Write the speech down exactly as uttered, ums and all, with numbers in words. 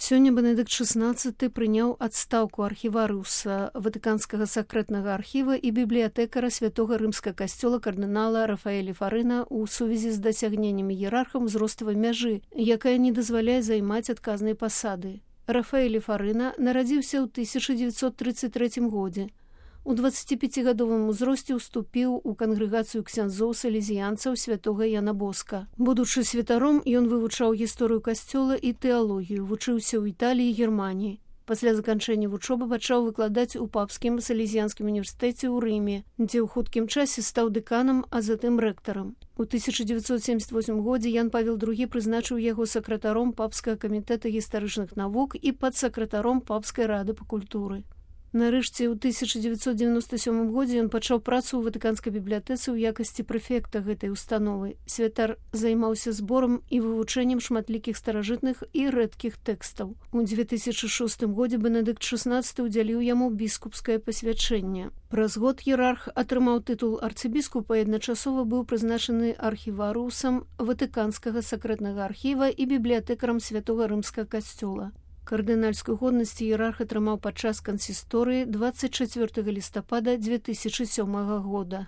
Сёння Бенедыкт шаснаццаты прыняў адстаўку архіварыуса Ватыканскага сакрэтнага архіва і бібліятэкара святога рымскага касцёла кардынала Рафаэля Фарына ў сувязі з дасягненнямі іерархам узроставай мяжы, якая не дазваляе займаць адказнай пасады. Рафаэль Фарына нарадзіўся ў тысяча дзевяцьсот трыццаць трэцім годзе. У дваццаціпяцігадовым узросце ўступіў у кангрэгацыю ксяндзоў-салезіянцаў святога Яна Боска. Будучы святаром, ён вывучаў гісторыю касцёла і тэалогію, вучыўся ў Італіі і Германіі. Пасля заканчэння вучобы пачаў выкладаць у папскім салезіянскім універсітэце ў Рыме, дзе ў хуткім часе стаў дэканам, а затым рэктарам. У тысяча дзевяцьсот семдзяць восьмым годзе Ян Павел другі прызначыў яго сакратаром папскага камітэта гістарычных навук і падсакратаром папскай рады па культуры. Нарэшце, у тысяча дзевяцьсот дзевяноста сёмым годзе ён пачаў працу ў Ватыканскай бібліятэцы ў якасці прэфекта гэтай установы. Святар займаўся зборам і вывучэннем шматлікіх старажытных і рэдкіх тэкстаў. У дзве тысячы шостым годзе Бенедыкт шаснаццаты ўдзяліў яму біскупскае пасвячэнне. Праз год іерарх атрымаў тытул арцыбіскупа і адначасова быў прызначаны архіварыусам Ватыканскага сакрэтнага архіва і бібліятэкарам святога рымскага касцёла. Кардынальскую годнасць іерарх атрымаў падчас кансісторыі дваццаць чацвёртага лістапада дзве тысячы сёмага года.